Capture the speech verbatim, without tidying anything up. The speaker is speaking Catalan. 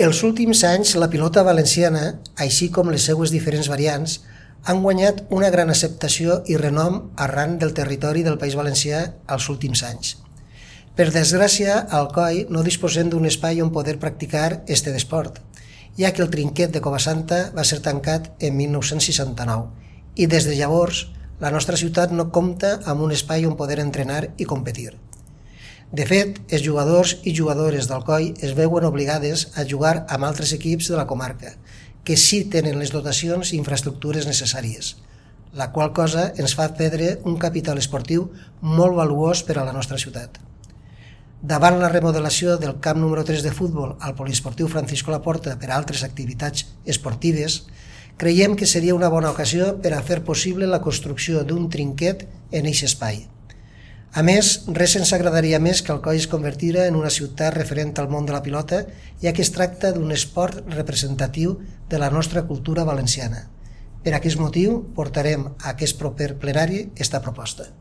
Els últims anys, la pilota valenciana, així com les seues diferents variants, han guanyat una gran acceptació i renom arran del territori del País Valencià als últims anys. Per desgràcia, al C O I no disposem d'un espai on poder practicar este esport, ja que el trinquet de Covasanta va ser tancat en mil nou-cents seixanta-nou i des de llavors la nostra ciutat no compta amb un espai on poder entrenar i competir. De fet, els jugadors i jugadores del C O I es veuen obligades a jugar amb altres equips de la comarca, que sí tenen les dotacions i infraestructures necessàries, la qual cosa ens fa perdre un capital esportiu molt valuós per a la nostra ciutat. Davant la remodelació del camp número tres de futbol al poliesportiu Francisco Laporta per a altres activitats esportives, creiem que seria una bona ocasió per a fer possible la construcció d'un trinquet en aquest espai. A més, res ens agradaria més que el C O I es convertira en una ciutat referent al món de la pilota, ja que es tracta d'un esport representatiu de la nostra cultura valenciana. Per aquest motiu, portarem a aquest proper plenari esta proposta.